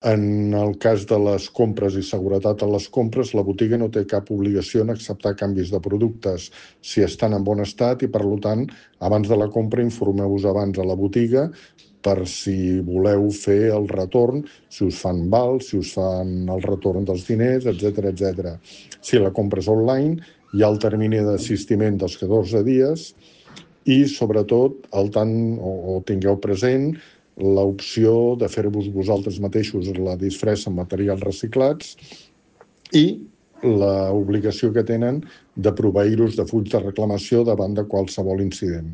En el cas de les compres i seguretat a les compres, la botiga no té cap obligació en acceptar canvis de productes si estan en bon estat i, per tant, abans de la compra informeu-vos abans a la botiga per si voleu fer el retorn, si us fan val, si us fan el retorn dels diners, etc. Si la compra és online, hi ha el termini d'assistiment dels 14 dies i, sobretot, tingueu present l'opció de fer-vos vosaltres mateixos la disfressa amb materials reciclats i l'obligació que tenen de proveir-vos de fulls de reclamació davant de qualsevol incident.